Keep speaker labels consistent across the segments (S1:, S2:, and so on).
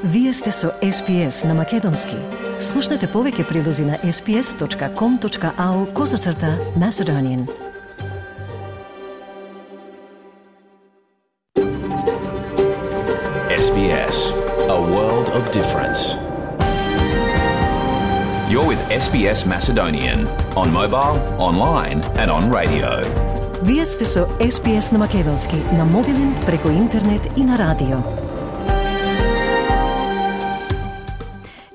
S1: Вие сте со SPS на Македонски. Слушнете повеќе прилози на sps.com.au/Macedonian.
S2: SBS, a world of difference. You're with SBS Macedonian on mobile, online and on radio.
S1: Вие сте со SPS на Македонски на мобилен, преку интернет и на радио.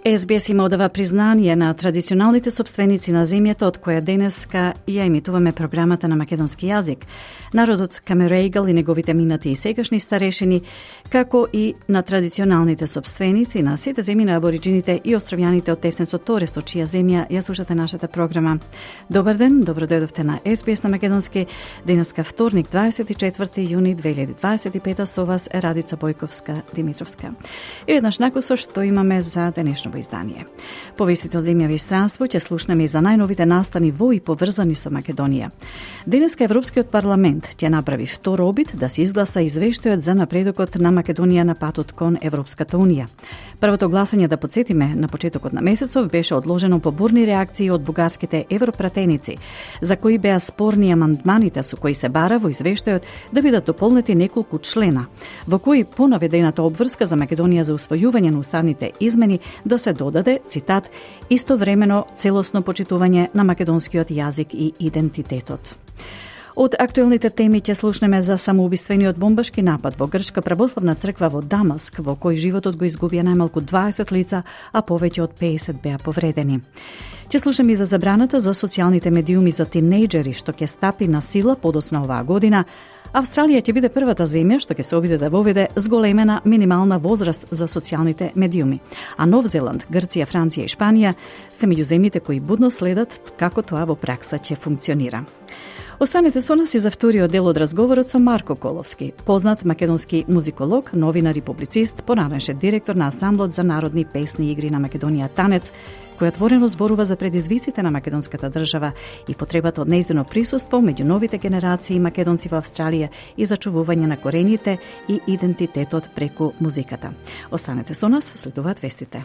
S3: SBS има одава признание на традиционалните собственици на земјата од која денеска ја емитуваме програмата на македонски јазик. Народот Камерейгал и неговите минати и сегашни старешини, како и на традиционалните собственици на сите земји на абориджините и островјаните од Теснецот Торес, од чија земја ја слушате нашата програма. Добар ден, добро дојдовте на SBS на Македонски. Денеска вторник, 24 јуни 2025, со вас е Радица Бојковска-Димитровска. И еднаш накусо што имаме за денешно издание. Повестите од земјави и странство ќе слушнеме и за најновите настани во и поврзани со Македонија. Денеска Европскиот парламент ќе направи втор обид да се изгласа извештајот за напредокот на Македонија на патот кон Европската унија. Првото гласање, да потсетиме, на почетокот на месецов беше одложено по бурни реакции од бугарските европратеници, за кои беа спорни амандманите со кои се бара во извештајот да бидат дополнети неколку члена, во кои по наведената обврска за Македонија за усвојување на уставните измени да се додаде, цитат, истовремено целосно почитување на македонскиот јазик и идентитетот. Од актуелните теми ќе слушнеме за самоубиствениот бомбашки напад во Грчка православна црква во Дамаск, во кој животот го изгубија најмалку 20 лица, а повеќе од 50 беа повредени. Ќе слушнеме и за забраната за социјалните медиуми за тинејџери, што ќе стапи на сила подоцна оваа година. Австралија ќе биде првата земја што ќе се обиде да воведе зголемена минимална возраст за социјалните медиуми. А Нов Зеланд, Грција, Франција и Шпанија се меѓу земјите кои будно следат како тоа во пракса ќе функционира. Останете со нас и за вториот дел од разговорот со Марко Коловски, познат македонски музиколог, новинар и публицист, поранешен директор на Ансамблот за народни песни и игри на Македонија Танец, кој отворено зборува за предизвиците на македонската држава и потребата од нејзино присуство меѓу новите генерации македонци во Австралија и зачувување на корените и идентитетот преку музиката. Останете со нас, следуваат вестите.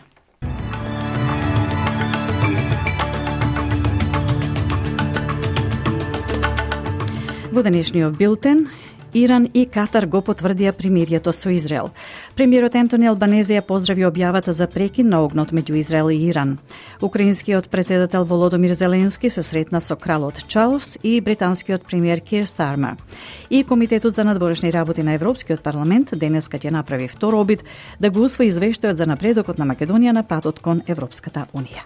S3: Во денешниот билтен, Иран и Катар го потврдија примирието со Израел. Премиерот Ентони Албанезе ја поздрави објавата за прекин на огнот меѓу Израел и Иран. Украинскиот председател Володомир Зеленски се сретна со кралот Чарлс и британскиот премиер Кир Стармер. И Комитетот за надворешни работи на Европскиот парламент денеска ќе направи втор обид да го усвои извештајот за напредокот на Македонија на патот кон Европската унија.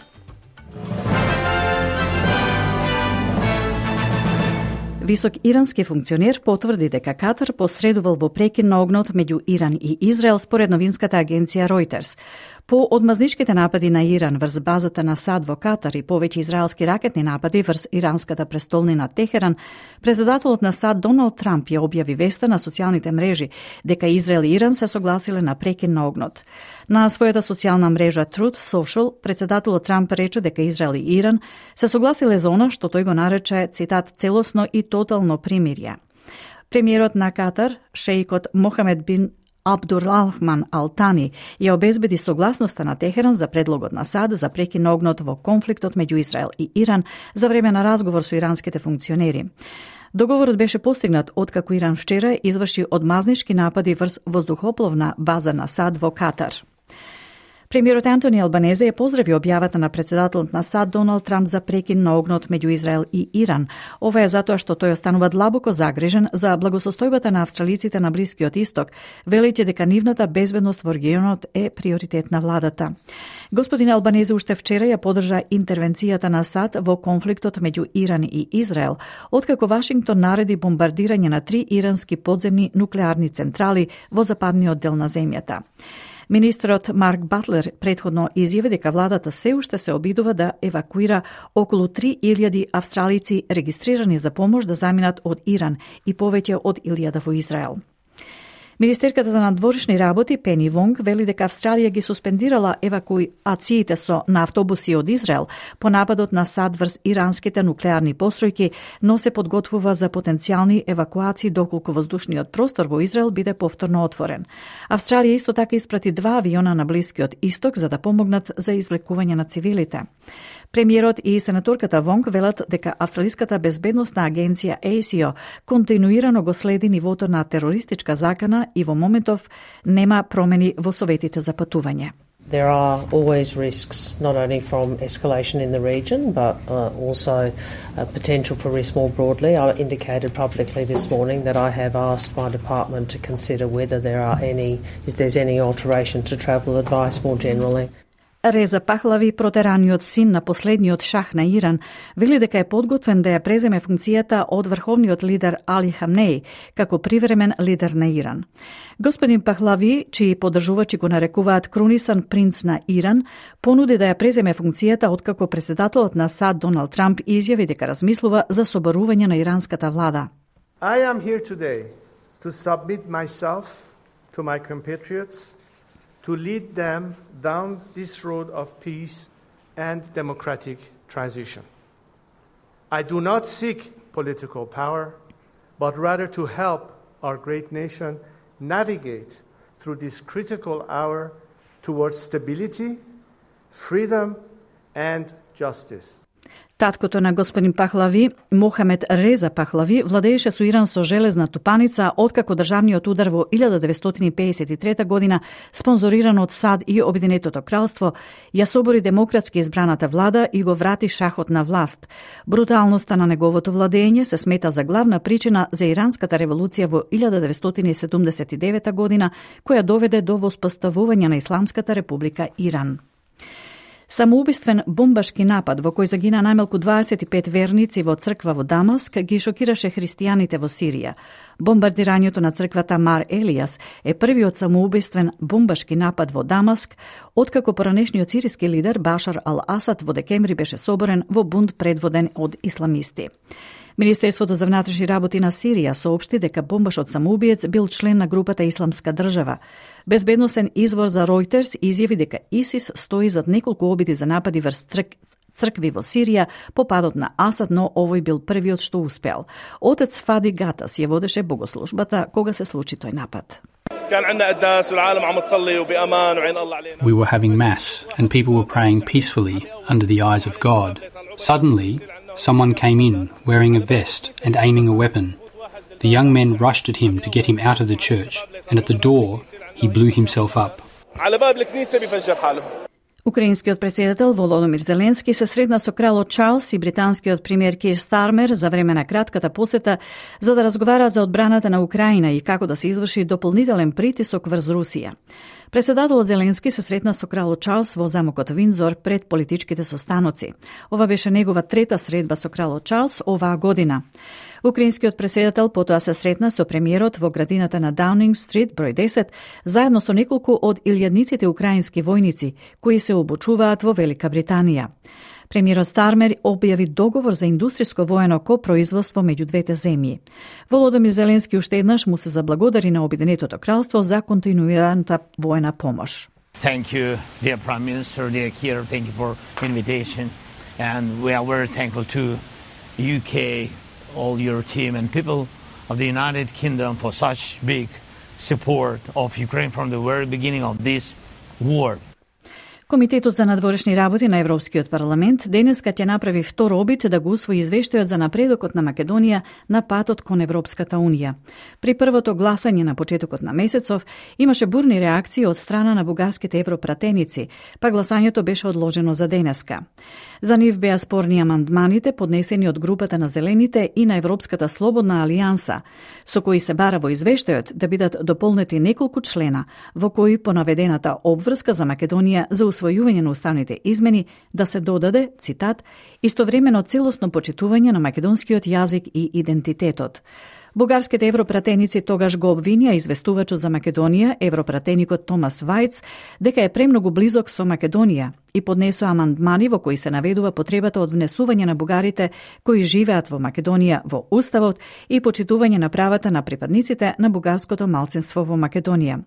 S3: Висок ирански функционер потврди дека Катар посредувал во прекин на огнот меѓу Иран и Израел според новинската агенција Reuters. По одмазничките напади на Иран врз базата на САД во Катар и повеќе израелски ракетни напади врз иранската престолнина Техеран, председателот на САД Доналд Трамп ја објави веста на социјалните мрежи дека Израел и Иран се согласиле на прекин на огнот. На својата социјална мрежа Truth Social, председателот Трамп рече дека Израел и Иран се согласиле за она што тој го нарече, цитат, целосно и тотално примирје. Премиерот на Катар, шеикот Мохамед бин Абдурахман Алтани ја обезбеди согласноста на Техеран за предлогот на САД за прекин на огнот во конфликтот меѓу Израел и Иран за време на разговор со иранските функционери. Договорот беше постигнат откако Иран вчера изврши одмазнички напади врз воздухопловна база на САД во Катар. Премиерот Антони Албанезе ја поздрави објавата на председателот на САД Доналд Трамп за прекин на огнот меѓу Израел и Иран. Ова е затоа што тој останува длабоко загрижен за благосостојбата на австралиците на Блискиот Исток, велејќи дека нивната безбедност во регионот е приоритет на владата. Господин Албанезе уште вчера ја поддржа интервенцијата на САД во конфликтот меѓу Иран и Израел, откако Вашингтон нареди бомбардирање на 3 ирански подземни нуклеарни централи во западниот дел на земјата. Министерот Марк Батлер претходно изјави дека владата се уште се обидува да евакуира околу 3000 австралици регистрирани за помош да заминат од Иран и повеќе од 1000 во Израел. Министерката за надворешни работи Пени Вонг вели дека Австралија ги суспендирала евакуациите со на автобуси од Израел по нападот на САД врз иранските нуклеарни постројки, но се подготвува за потенцијални евакуации доколку воздушниот простор во Израел биде повторно отворен. Австралија исто така испрати 2 авиона на Блискиот Исток за да помогнат за извлекување на цивилите. Премиерот и сенаторката Вонг велат дека Австралиската безбедносна агенција ASIO континуирано го следи нивото на терористичка закана и во моментов нема промени во советите за патување.
S4: There are always risks, not only from escalation in the region, but also potential for risk more broadly. I indicated publicly this morning that I have asked my department to consider whether there's any alteration to travel advice more generally.
S3: Реза Пахлави, протераниот син на последниот шах на Иран, вели дека е подготвен да ја преземе функцијата од врховниот лидер Али Хамнеи како привремен лидер на Иран. Господин Пахлави, чии поддржувачи го нарекуваат крунисан принц на Иран, понуди да ја преземе функцијата откако председателот на САД Доналд Трамп изјави дека размислува за соборување на иранската влада.
S5: I am here today to submit myself to my compatriots to lead them down this road of peace and democratic transition. I do not seek political power, but rather to help our great nation navigate through this critical hour towards stability, freedom, and justice.
S3: Таткото на господин Пахлави, Мохамед Реза Пахлави, владееше со Иран со железна тупаница откако државниот удар во 1953 година, спонзориран од САД и Обединетото кралство, ја собори демократски избраната влада и го врати шахот на власт. Бруталноста на неговото владење се смета за главна причина за иранската револуција во 1979 година, која доведе до воспоставување на Исламската република Иран. Самоубиствен бомбашки напад во кој загина најмалку 25 верници во црква во Дамаск ги шокираше христијаните во Сирија. Бомбардирањето на црквата Мар Елијас е првиот самоубиствен бомбашки напад во Дамаск, откако поранешниот сириски лидер Башар ал-Асад во декември беше соборен во бунт предводен од исламисти. Министерството за внатрешни работи на Сирија соопшти дека бомбашот самоубиец бил член на групата Исламска држава. Безбедносен извор за Reuters изјави дека ИСИС стои зад неколку обиди за напади врз цркви во Сирија по падот на Асад, но овој бил првиот што успеал. Отец Фади Гатас ја водеше богослужбата кога се случи тој напад.
S6: We were having mass and people were praying peacefully under the eyes of God. Suddenly, someone came in wearing a vest and aiming a weapon. The young men rushed at him to get him out of the church, and at the door, he blew himself up.
S3: Украинскиот претседател Володомир Зеленски се средна со кралот Чарлс и британскиот премиер Кир Стармер за време на кратката посета за да разговараат за одбраната на Украина и како да се изврши дополнителен притисок врз Русија. Претседателот Зеленски се сретна со кралот Чарлс во замокот Виндзор пред политичките состаноци. Ова беше негова трета средба со кралот Чарлс оваа година. Украинскиот претседател потоа се сретна со премиерот во градината на Даунинг Стрит број 10, заедно со неколку од илјадниците украински војници кои се обучуваат во Велика Британија. Премиерот Стармер објави договор за индустријско воено копроизводство меѓу двете земји. Володомир Зеленски уште еднаш му се заблагодари на Обединетото кралство за континуираната воена помош.
S7: Thank you, dear Prime Minister, dear Keir, thank you for invitation, and we are very thankful to UK, all your team and people of the United Kingdom for such big support of Ukraine from the very beginning of this war.
S3: Комитетот за надворешни работи на Европскиот парламент денеска ќе направи втор обид да го усвои извештајот за напредокот на Македонија на патот кон Европската унија. При првото гласање на почетокот на месецов имаше бурни реакции од страна на бугарските европратеници, па гласањето беше одложено за денеска. За нив беа спорни амандманите поднесени од групата на Зелените и на Европската слободна алијанса, со кои се бара во извештајот да бидат дополнети неколку члена во кои по наведената обврска за Македонија за усвојување на уставните измени да се додаде, цитат, истовремено целосно почитување на македонскиот јазик и идентитетот. Бугарските европратеници тогаш го обвинија известувачот за Македонија, европратеникот Томас Вајц, дека е премногу близок со Македонија и поднесоа амандмани во кои се наведува потребата од внесување на бугарите кои живеат во Македонија во Уставот и почитување на правата на припадниците на бугарското малцинство во Македонија.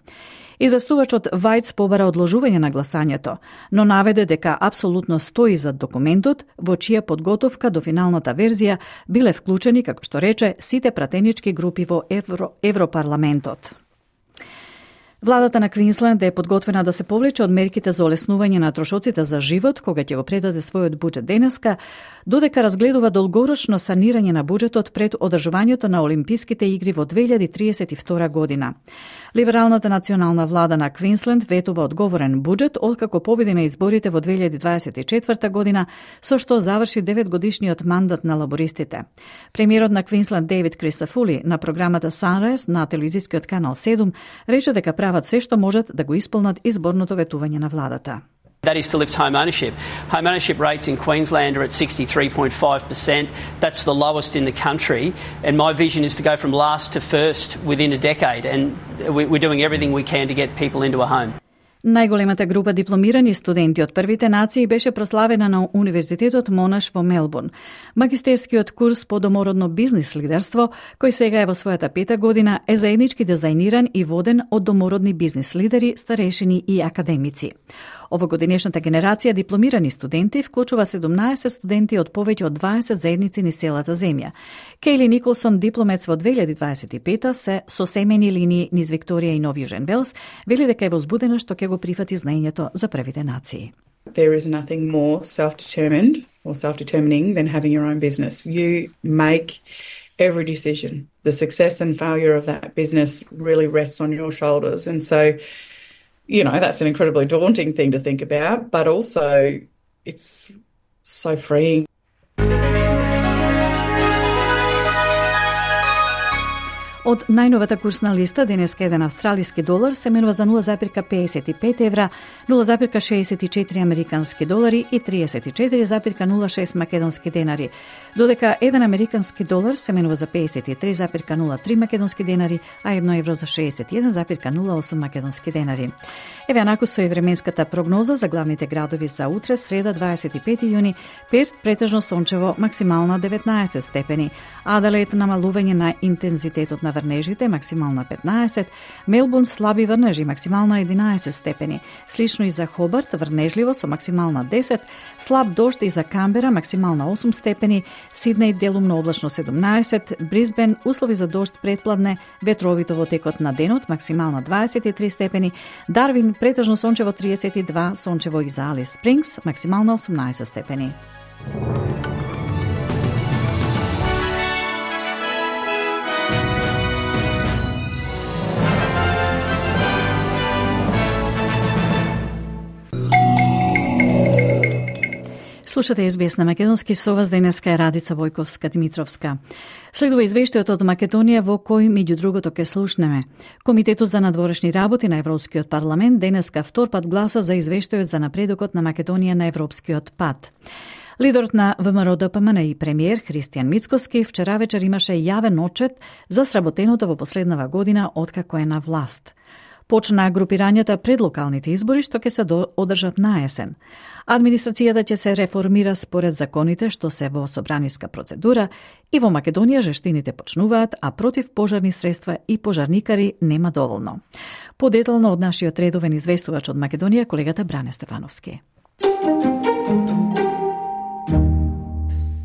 S3: Известувачот Вајц побара одложување на гласањето, но наведе дека апсолутно стои зад документот, во чија подготовка до финалната верзија биле вклучени, како што рече, сите пратенички групи во Европарламентот. Владата на Квинсленд е подготвена да се повлече од мерките за олеснување на трошоците за живот, кога ќе го предаде својот буџет денеска, додека разгледува долгорочно санирање на буџетот пред одржувањето на Олимписките игри во 2032 година. Либералната национална влада на Квинсленд ветува одговорен буџет откако победи на изборите во 2024 година, со што заврши 9-годишниот мандат на лабористите. Премиерот на Квинсленд Дейвид Крисафули на програмата Sunrise на телевизискиот канал 7 рече дека прават се што можат да го исполнат изборното ветување на владата.
S8: That is to lift home ownership. Home ownership rates in Queensland are at 63.5%. That's the lowest in the country. And my vision is to go from last to first within a decade. And we're doing everything we can to get people into a home.
S3: Најголемата група дипломирани студенти од првите нации беше прославена на Универзитетот Монаш во Мелбурн. Магистерскиот курс по домородно бизнис лидерство, кој сега е во својата 5-та година, е заеднички дизајниран и воден од домородни бизнис лидери, старешини и академици. Овогодинешната генерација дипломирани студенти вклучува 17 студенти од повеќе од 20 заедници низ целата земја. Кейли Николсон, дипломец во 2025 се со семејни линии низ Викторија и Нов Јужен Велс, вели дека е возбудена што ќе го прифати знаењето за првите нации.
S9: There is nothing more self-determined or self-determining than having your own business. You make every decision. The success and failure of that business really rests on your shoulders. And so, you know, that's an incredibly daunting thing to think about, but also it's so freeing.
S3: Од најновата курсна листа, денеска еден австралиски долар се менува за 0,55 евра, 0,64 американски долари и 34,06 македонски денари, додека еден американски долар се менува за 53,03 македонски денари, а 1 евро за 61,08 македонски денари. Еве анаку со и временската прогноза за главните градови за утре, среда 25 јуни, Перт претежно сончево, максимална 19 степени, Аделаид намалување на интензитетот на врнежите, максимална 15, Мелбурн слаби врнежи, максимална 11 степени, слично и за Хобарт, врнежливо со максимална 10, слаб дожд и за Камбера, максимална 8 степени, Сиднеј делумно облачно 17, Брисбен услови за дожд предпладне, ветровито во текот на денот, максимална 23 степени, Дарвин претежно сончево 32, сончево и за Алис Спрингс, максимална 18 степени. Слушате СБС на македонски, со вас денеска е Радица Војковска-Димитровска. Следува извештајот од Македонија во кој, меѓу другото, ке слушнеме. Комитетот за надворешни работи на Европскиот парламент денеска втор пат гласа за извештајот за напредокот на Македонија на Европскиот пат. Лидерот на ВМРО-ДПМН и премиер Христијан Мицкоски вчера вечер имаше јавен отчет за сработеното во последнава година откако е на власт. Почна групирањата пред локалните избори што ќе се одржат на есен. Администрацијата ќе се реформира според законите што се во собраниска процедура и во Македонија жештините почнуваат, а против пожарни средства и пожарникари нема доволно. Подетално од нашиот редовен известувач од Македонија, колегата Бране Стефановски.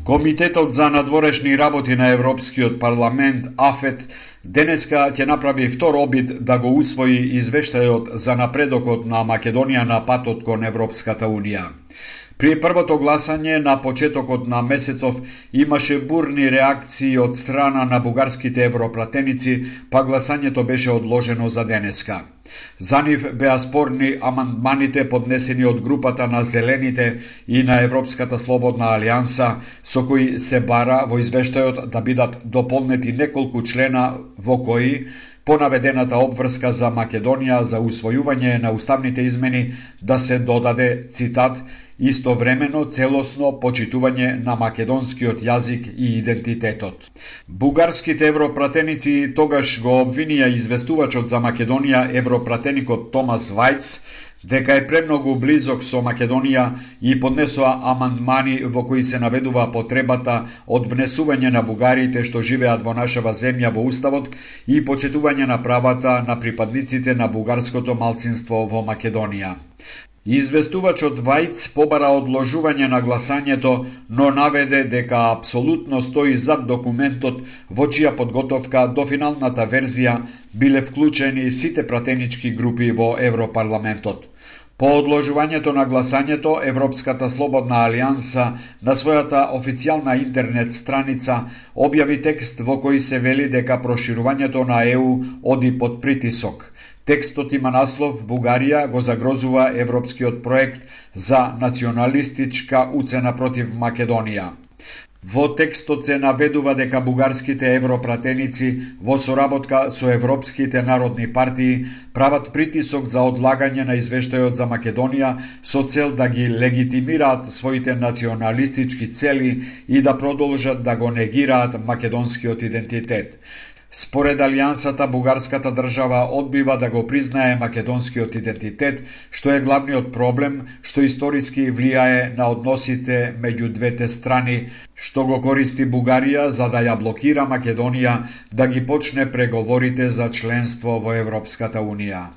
S10: Комитетот за надворешни работи на Европскиот парламент, АФЕТ, денеска ќе направи втор обид да го усвои извештајот за напредокот на Македонија на патот кон Европската Унија. При првото гласање на почетокот на месецов имаше бурни реакции од страна на бугарските европратеници, па гласањето беше одложено за денеска. За нив беа спорни амандманите поднесени од групата на Зелените и на Европската слободна алијанса, со кои се бара во извештајот да бидат дополнети неколку члена во кои по наведената обврска за Македонија за усвојување на уставните измени да се додаде, цитат, истовремено целосно почитување на македонскиот јазик и идентитетот. Бугарските европратеници тогаш го обвинија известувачот за Македонија, европратеникот Томас Вајц, дека е премногу близок со Македонија и поднесоа амандмани во кои се наведува потребата од внесување на бугарите што живеат во нашава земја во уставот и почитување на правата на припадниците на бугарското малцинство во Македонија. Известувачот Вајц побара одложување на гласањето, но наведе дека апсолутно стои зад документот во чија подготовка до финалната верзија биле вклучени сите пратенички групи во Европарламентот. По одложувањето на гласањето, Европската слободна алијанса на својата официјална интернет страница објави текст во кој се вели дека проширувањето на ЕУ оди под притисок. Текстот има наслов «Бугарија го загрозува европскиот проект за националистичка уцена против Македонија». Во текстот се наведува дека бугарските европратеници во соработка со европските народни партии прават притисок за одлагање на извештајот за Македонија со цел да ги легитимираат своите националистички цели и да продолжат да го негираат македонскиот идентитет. Според Алијансата, бугарската држава одбива да го признае македонскиот идентитет, што е главниот проблем што историски влијае на односите меѓу двете страни, што го користи Бугарија за да ја блокира Македонија да ги почне преговорите за членство во Европската Унија.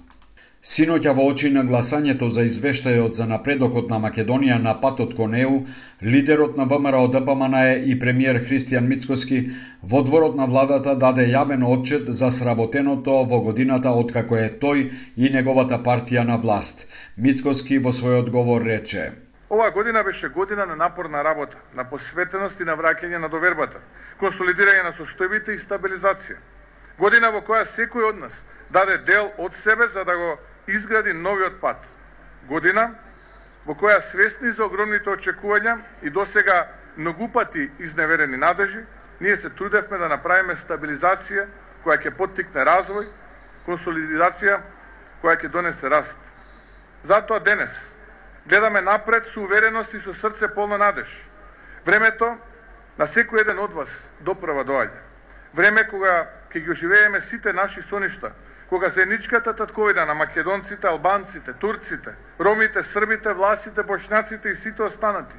S10: Синоќа во очи на гласањето за извештајот за напредокот на Македонија на патот кон ЕУ, лидерот на ВМРО-ДПМНЕ и премиер Христијан Мицкоски во дворот на владата даде јавен отчет за сработеното во годината откако е тој и неговата партија на власт. Мицкоски во свој одговор рече:
S11: Оваа година беше година на напорна работа, на посветеност и на враќање на довербата, консолидирање на состојбите и стабилизација. Година во која секој од нас даде дел од себе за да го изгради новиот пат. Година во која свесни за огромните очекувања и досега многу пати изневерени надежи, ние се трудевме да направиме стабилизација која ќе поттикне развој, консолидација која ќе донесе раст. Затоа денес гледаме напред со увереност и со срце полно надеж. Времето на секој еден од вас доправа доаѓа. Време кога ќе ги оживееме сите наши соништа, кога заедничката татковина на македонците, албанците, турците, ромите, србите, власите, бошњаците и сите останати,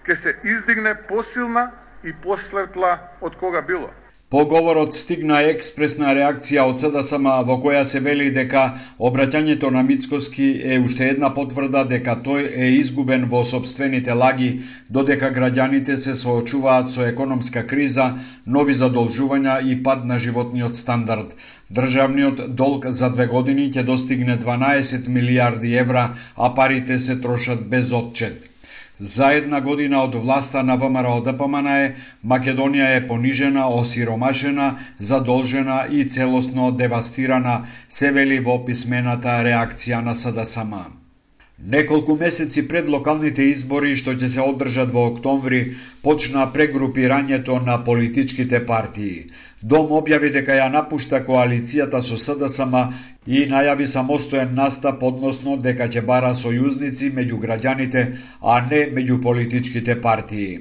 S11: ќе се издигне посилна и посветла од кога било.
S10: По говорот стигна експресна реакција од СДСМ во која се вели дека обраќањето на Мицкоски е уште една потврда дека тој е изгубен во сопствените лаги, додека граѓаните се соочуваат со економска криза, нови задолжувања и пад на животниот стандард. Државниот долг за 2 години ќе достигне 12 милијарди евра, а парите се трошат без отчет. За една година од власта на ВМРО-ДПМНЕ, Македонија е понижена, осиромашена, задолжена и целосно девастирана, се вели во писмената реакција на СДСМ. Неколку месеци пред локалните избори што ќе се одржат во октомври, почна прегрупирањето на политичките партии. Дом објави дека ја напушта коалицијата со СДСМ и најави самостоен настап, односно дека ќе бара сојузници меѓу граѓаните, а не меѓу политичките партии.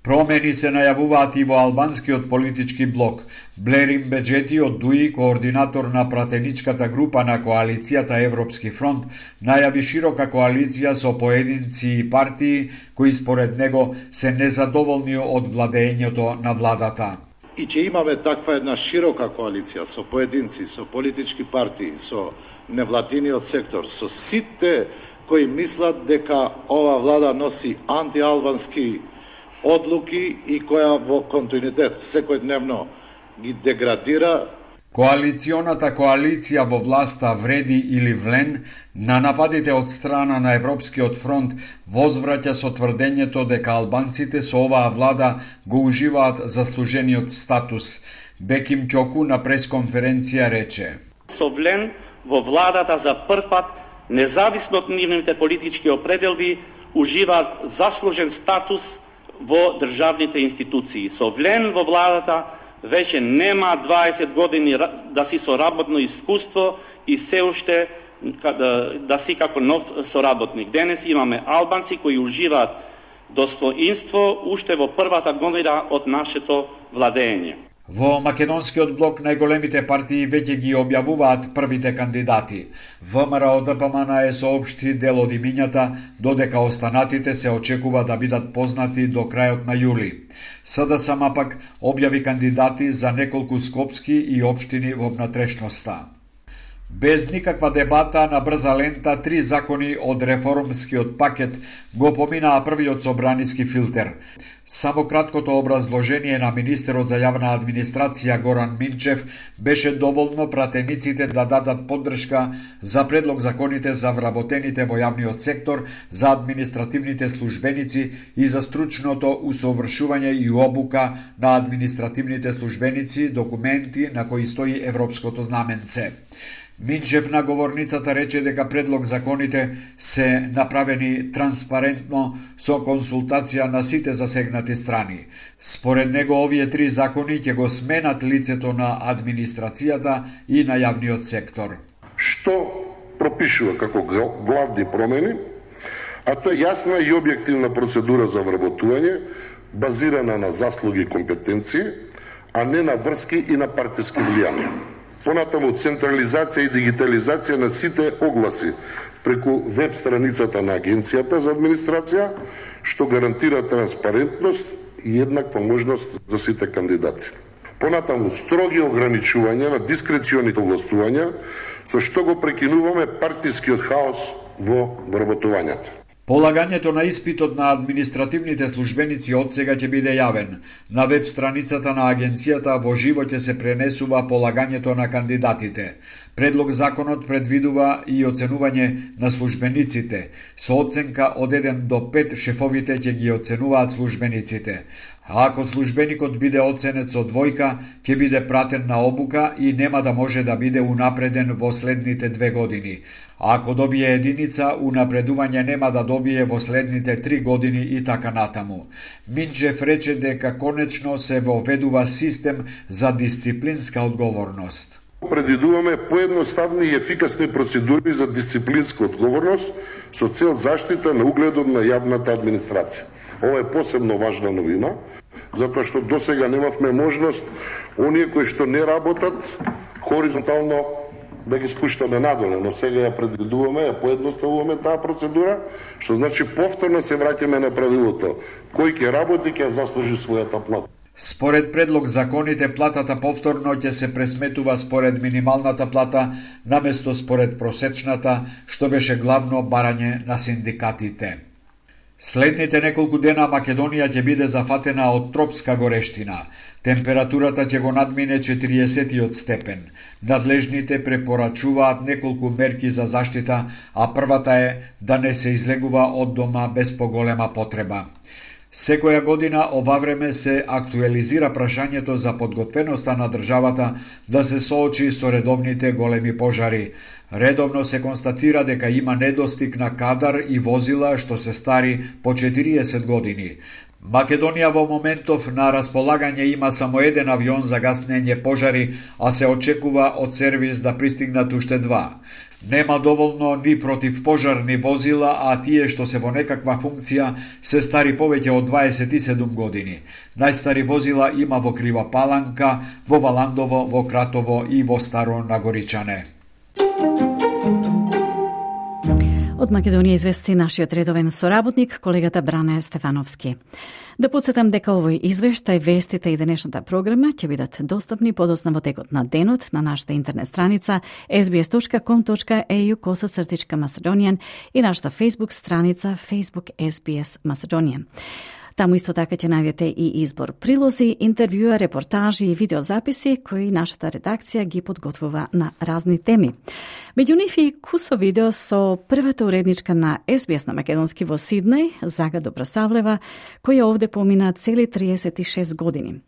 S10: Промени се најавуваат и во албанскиот политички блок. Блерим Беџети од ДУИ, координатор на пратеничката група на коалицијата Европски фронт, најави широка коалиција со поединци и партии кои според него се незадоволни од владењето на владата.
S12: И ќе имаме таква една широка коалиција со поединци, со политички партии, со невладиниот сектор, со сите кои мислат дека ова влада носи антиалбански одлуки и која во континуитет секојдневно ги деградира.
S10: Коалиционата коалиција во власта Вреди или Влен на нападите од страна на Европскиот фронт возвраќа со тврдењето дека албанците со оваа влада го уживаат заслужениот статус. Беким Ќоку на пресконференција рече:
S13: Со Влен во владата за прв пат, независно од нивните политички определби, уживаат заслужен статус во државните институции. Со Влен во владата веќе нема 20 години да си со работно искуство и се уште да си како нов соработник. Денес имаме албанци кои уживаат достоинство уште во првата година од нашето владење.
S10: Во македонскиот блок најголемите партии веќе ги објавуваат првите кандидати. ВМРО ДПМН е соопшти дел од имињата, додека останатите се очекува да бидат познати до крајот на јули. СДСМ пак објави кандидати за неколку скопски и општини во внатрешноста. Без никаква дебата на брза лента, 3 закони од реформскиот пакет го поминаа првиот собраниски филтер. Само краткото образложение на министерот за јавна администрација Горан Минчев беше доволно пратениците да дадат поддршка за предлог законите за вработените во јавниот сектор, за административните службеници и за стручното усовршување и обука на административните службеници, документи на кои стои европското знаменце. Минчев на говорницата рече дека предлог законите се направени транспарентно со консултација на сите засегнати страни. Според него овие 3 закони ќе го сменат лицето на администрацијата и на јавниот сектор.
S14: Што пропишува како главни промени, а тоа е јасна и објективна процедура за вработување, базирана на заслуги и компетенции, а не на врски и на партиски влијанија. Понатаму централизација и дигитализација на сите огласи преку веб страницата на Агенцијата за администрација, што гарантира транспарентност и еднаква можност за сите кандидати. Понатаму строги ограничувања на дискреционите овластувања, со што го прекинуваме партискиот хаос во вработувањата.
S10: Полагањето на испитот на административните службеници од сега ќе биде јавен. На веб страницата на агенцијата во живо ќе се пренесува полагањето на кандидатите. Предлог законот предвидува и оценување на службениците. Со оценка од 1 до 5 шефовите ќе ги оценуваат службениците. А ако службеникот биде оценет со 2, ќе биде пратен на обука и нема да може да биде унапреден во следните 2 години. А ако добие 1, унапредување нема да добие во следните 3 години и така натаму. Минчев рече дека конечно се воведува систем за дисциплинска одговорност.
S14: Предвидуваме поедноставни и ефикасни процедури за дисциплинска одговорност со цел заштита на угледот на јавната администрација. Ова е посебно важна новина, затоа што досега немавме можност оние кои што не работат хоризонтално да ги спуштаме надолу, но сега ја предвидуваме, ја поедноставуваме таа процедура, што значи повторно се враќаме на правилото. Кој ќе работи, ќе заслужи својата плата.
S10: Според предлог законите, платата повторно ќе се пресметува според минималната плата, наместо според просечната, што беше главно барање на синдикатите. Следните неколку дена Македонија ќе биде зафатена од тропска горештина. Температурата ќе го надмине 40 степен. Надлежните препорачуваат неколку мерки за заштита, а првата е да не се излегува од дома без поголема потреба. Секоја година ова време се актуализира прашањето за подготвеноста на државата да се соочи со редовните големи пожари. Редовно се констатира дека има недостиг на кадар и возила што се стари по 40 години. Македонија во моментов на располагање има само 1 авион за гаснење пожари, а се очекува од сервис да пристигнат уште 2. Нема доволно ни противпожарни возила, а тие што се во некаква функција се стари повеќе од 27 години. Најстари возила има во Крива Паланка, во Валандово, во Кратово и во Старо Нагоричане.
S3: Од Македонија извести нашиот редовен соработник, колегата Бране Стефановски. Да подсетам дека овој извештај, вестите и денешната програма ќе бидат достапни подоцна во текот на денот на нашата интернет страница sbs.com.au/Macedonian и нашата Facebook страница Facebook SBS Macedonian. Таму исто така ќе најдете и избор прилози, интервјуа, репортажи и видеозаписи кои нашата редакција ги подготвува на разни теми. Меѓу нив и кусо видео со првата уредничка на SBS на македонски во Сиднеј, Зага Добросавлева, која овде помина цели 36 години.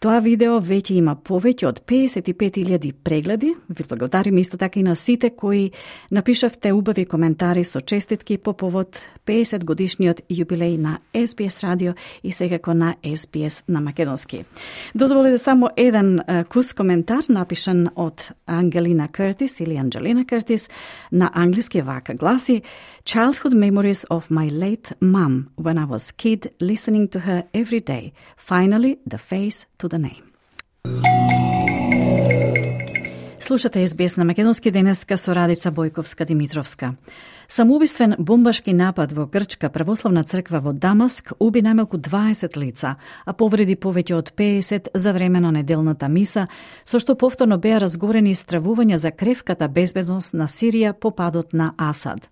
S3: Тоа видео веќе има повеќе од 55.000 прегледи. Ви благодариме исто така и на сите кои напишавте убави коментари со честитки по повод 50 годишниот јубилеј на SBS радио и секако на SBS на македонски. Дозволите само еден кус коментар напишан од Ангелина Кертис или Анджелина Кертис на англиски вака гласи: Childhood memories of my late mum when I was kid listening to her every day. Finally, the face to the name. Слушате SBS на македонски денеска со Радица Бојковска-Димитровска. Самоубиствен бомбашки напад во Грчка православна црква во Дамаск уби најмалку 20 лица, а повреди повеќе од 50 за време на неделната миса, со што повторно беа разгорени стравувања за кревката безбедност на Сирија по падот на Асад.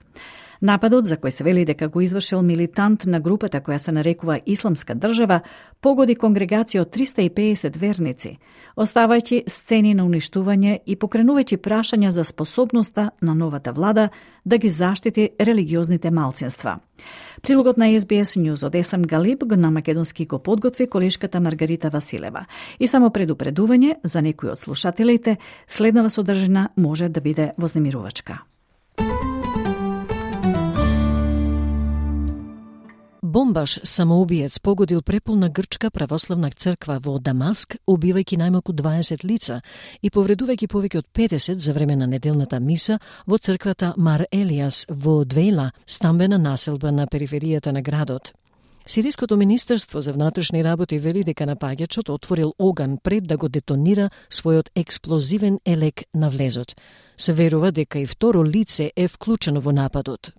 S3: Нападот, за кој се вели дека го извршил милитант на групата која се нарекува Исламска држава, погоди конгрегација од 350 верници, оставајќи сцени на уништување и покренувајќи прашања за способноста на новата влада да ги заштити религиозните малцинства. Прилогот на SBS News од Есам Галиб на македонски го подготви колешката Маргарита Василева. И само предупредување за некои од слушателите, следнава содржина може да биде вознемирувачка.
S15: Бомбаш самоубиец погодил преполна грчка православна црква во Дамаск, убивајќи најмалку 20 лица и повредувајќи повеќе од 50 за време на неделната миса во црквата Мар Елиас во Двејла, стамбена населба на периферијата на градот. Сириското министерство за внатрешни работи вели дека напаѓачот отворил оган пред да го детонира својот експлозивен елек на влезот. Се верува дека и второ лице е вклучено во нападот.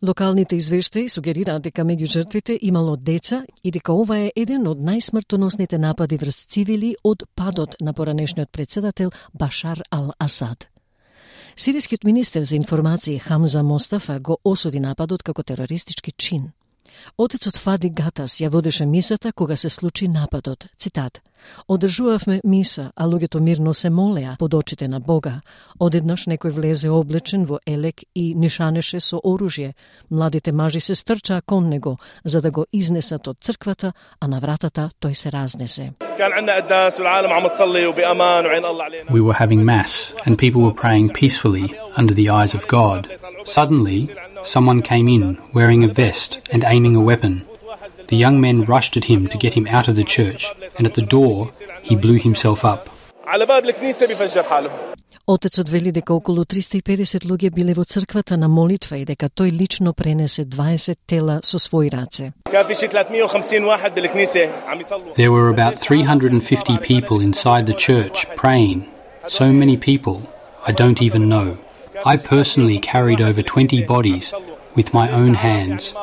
S15: Локалните извештаи сугерираат дека меѓу жртвите имало деца и дека ова е еден од најсмртоносните напади врз цивили од падот на поранешниот председател Башар ал-Асад. Сирискиот министер за информации Хамза Мостафа го осуди нападот како терористички чин. Отецот Фади Гатас ја водеше мисата кога се случи нападот. Цитат: "Одржувавме миса, а луѓето мирно се молеа под очите на Бога. Одеднаш некој влезе облечен во елек и нишанеше со оружје. Младите мажи се стрчаа кон него за да го изнесат од црквата, а на вратата тој се разнесе."
S6: We were having mass and people were praying peacefully under the eyes of God. Suddenly, someone came in wearing a vest and aiming a weapon. The young men rushed at him to get him out of the church, and at the door, he blew himself up.
S15: Отецот вели дека околу 350 луѓе биле во црквата на молитва и дека тој лично пренесе 20 тела со своји раце.
S6: There were about 350 people inside the church praying. So many people, I don't even know. I personally carried over 20 bodies with my own hands.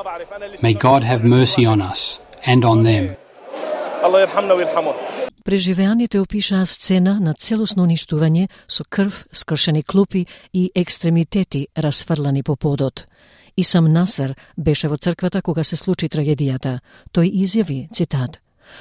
S6: May God have mercy on us and on them.
S15: Преживеаните опишаа сцена на целосно уништување со крв, скршени клупи и екстремитети расфрлани по подот. Исам Насер беше во црквата кога се случи трагедијата. Тој изјави, цитат: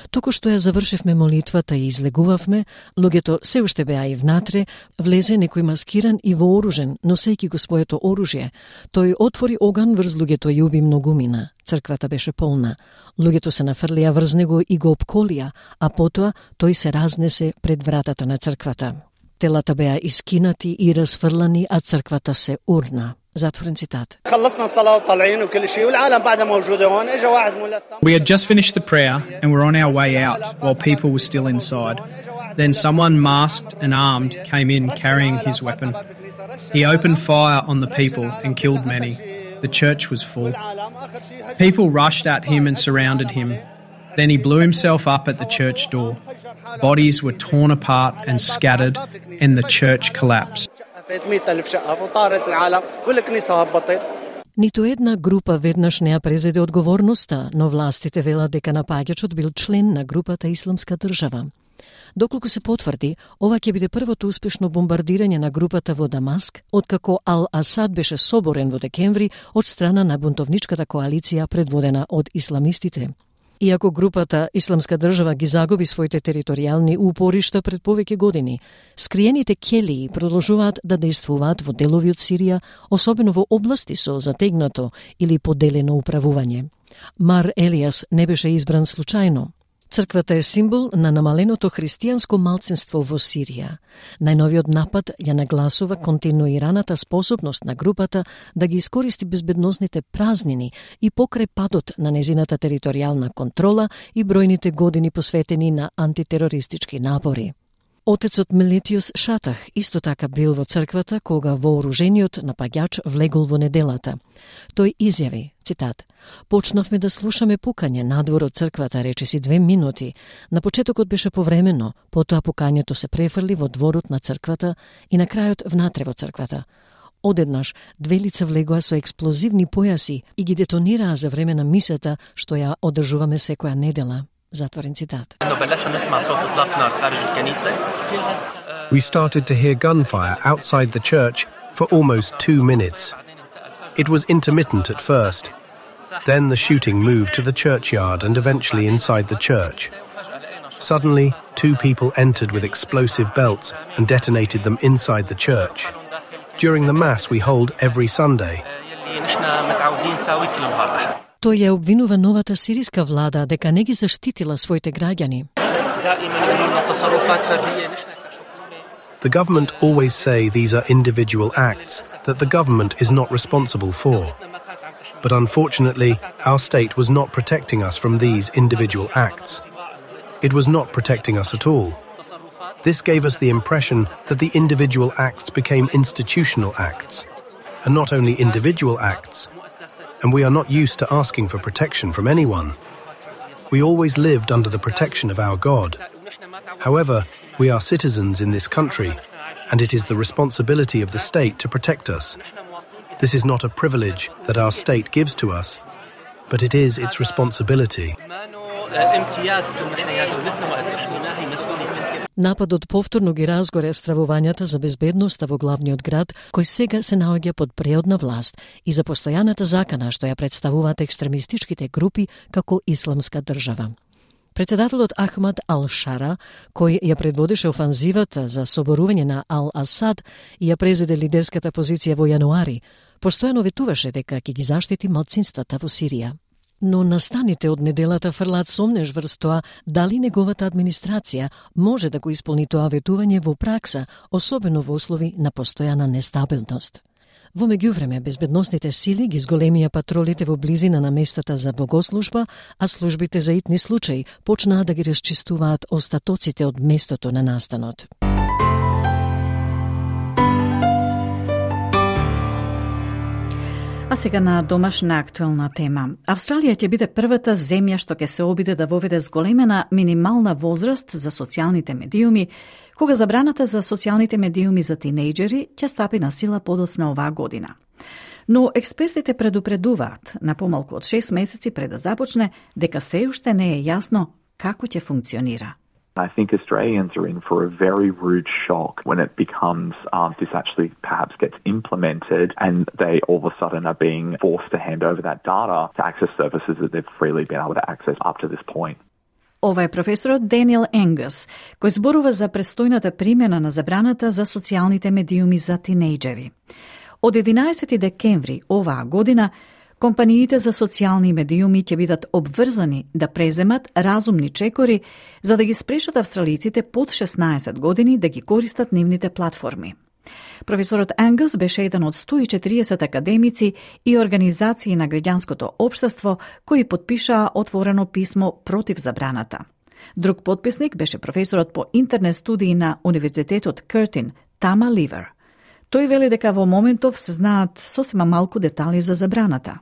S15: "Току што ја завршивме молитвата и излегувавме, луѓето се уште беа и внатре, влезе некој маскиран и вооружен, носејќи го своето оружје. Тој отвори оган врз луѓето и уби многумина. Црквата беше полна. Луѓето се нафрлија врз него и го опколија, а потоа тој се разнесе пред вратата на црквата. Телата беа искинати и расфрлани, а црквата се урна." Затворен цитат.
S16: We had just finished the prayer and were on our way out while people were still inside. Then someone masked and armed came in carrying his weapon. He opened fire on the people and killed many. The church was full. People rushed at him and surrounded him. Then he blew himself up at the church door. Bodies were torn apart and scattered, and the church collapsed.
S15: Ниту една група веднаш не ја презеде одговорноста, но властите велат дека напаѓачот бил член на групата Исламска држава. Доколку се потврди, ова ќе биде првото успешно бомбардирање на групата во Дамаск, откако Ал-Асад беше соборен во декември од страна на бунтовничката коалиција предводена од исламистите. Иако групата Исламска држава ги загуби своите територијални упоришта пред повеќе години, скриените келии продолжуваат да действуваат во делови од Сирија, особено во области со затегнато или поделено управување. Мар Елиас не беше избран случајно. Црквата е символ на намаленото христијанско малцинство во Сирија. Најновиот напад ја нагласува континуираната способност на групата да ги искористи безбедносните празнини и покрај падот на незината територијална контрола и бројните години посветени на антитерористички напори. Отецот Мелитиус Шатах исто така бил во црквата кога вооружениот напаѓач влегол во неделата. Тој изјави, цитат: "Почнавме да слушаме пукање надвор од црквата речиси 2 минути. На почетокот беше повремено, потоа пукањето се префрли во дворот на црквата и на крајот внатре во црквата. Одеднаш 2 лица влегоа со експлозивни појаси и ги детонираа за време на мисата што ја одржуваме секоја недела." Затворен цитат.
S17: We started to hear gunfire outside the church for almost 2 minutes. It was intermittent at first. Then the shooting moved to the churchyard and eventually inside the church. Suddenly, 2 people entered with explosive belts and detonated them inside the church. During the Mass we hold every Sunday.
S15: Тој ја обвинува новата сириска влада дека не ги заштитила своите граѓани.
S17: The government always say these are individual acts that the government is not responsible for. But unfortunately, our state was not protecting us from these individual acts. It was not protecting us at all. This gave us the impression that the individual acts became institutional acts, and not only individual acts. And we are not used to asking for protection from anyone. We always lived under the protection of our God. However, we are citizens in this country, and it is the responsibility of the state to protect us. This is not a privilege that our state gives to us, but it is its responsibility.
S15: Нападот повторно ги разгоре стравувањата за безбедноста во главниот град, кој сега се наоѓа под преодна власт и за постојаната закана што ја представуваат екстремистичките групи како Исламска држава. Председателот Ахмад Ал-Шара, кој ја предводеше офанзивата за соборување на Ал-Асад и ја презеде лидерската позиција во јануари, постојано ветуваше дека ќе ги заштити малцинствата во Сирија. Но настаните од неделата фрлаат сомнеж врз тоа дали неговата администрација може да го исполни тоа ветување во пракса, особено во услови на постојана нестабилност. Во меѓувреме, безбедносните сили ги зголемија патролите во близина на местата за богослужба, а службите за итни случаи почнаа да ги расчистуваат остатоците од местото на настанот.
S3: А сега на домашна актуелна тема. Австралија ќе биде првата земја што ќе се обиде да воведе зголемена минимална возраст за социјалните медиуми, кога забраната за социјалните медиуми за тинејџери ќе стапи на сила подоцна оваа година. Но експертите предупредуваат на помалку од 6 месеци пред да започне дека се уште не е јасно како ќе функционира.
S18: I think Australians are in for a very rude shock when it becomes this actually perhaps gets implemented and they all of a sudden are being forced to hand over that data to access services that they've freely been able to access up to this point.
S3: Ова е професорот Даниел Енгас, кој зборува за престојната примена на забраната за социјалните медиуми за тинејџери. Од 11 декември оваа година, компаниите за социјални медиуми ќе бидат обврзани да преземат разумни чекори за да ги спрешат австралиците под 16 години да ги користат нивните платформи. Професорот Енгас беше еден од 140 академици и организации на граѓанското општество кои потпишаа отворено писмо против забраната. Друг потписник беше професорот по интернет студии на Универзитетот Кертин, Тама Ливер. Тој вели дека во моментов се знаат сосема малку детали за забраната.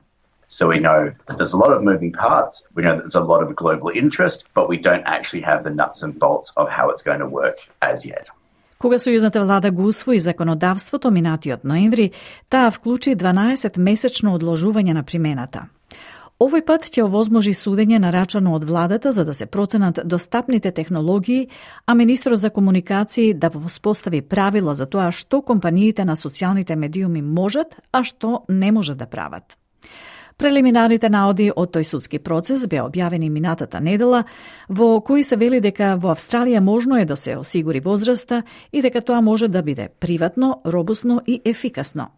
S19: So we know that there's a lot of moving parts, we know that there's a lot of global interest, but we don't actually have the nuts and bolts of how it's going to work as yet.
S3: Кога сојузната влада го усвои законодавството минатиот ноември, таа вклучи 12-месечно одложување на примената. Овој пат ќе овозможи судење нарачано од владата за да се проценат достапните технологии, а министрот за комуникации да воспостави правила за тоа што компаниите на социјалните медиуми можат, а што не може да прават. Прелиминарните наоди од тој судски процес беа објавени минатата недела, во кои се вели дека во Австралија можно е да се осигури возраста и дека тоа може да биде приватно, робусно и ефикасно.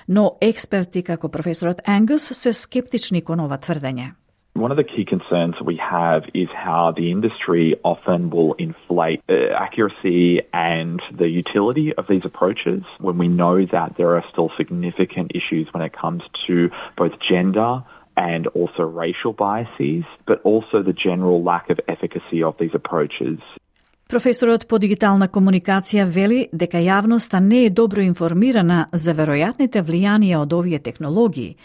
S3: Но експерти како професорот Енгас се скептични кон ова тврдење.
S18: One of the key concerns we have is how the industry often will inflate accuracy and the utility of these approaches when we know that there are still significant issues when it comes to both gender and also racial biases, but also the general lack of efficacy of these approaches.
S3: Професорот по дигитална комуникација вели дека јавноста не е добро информирана за веројатните влијанија од овие технологии,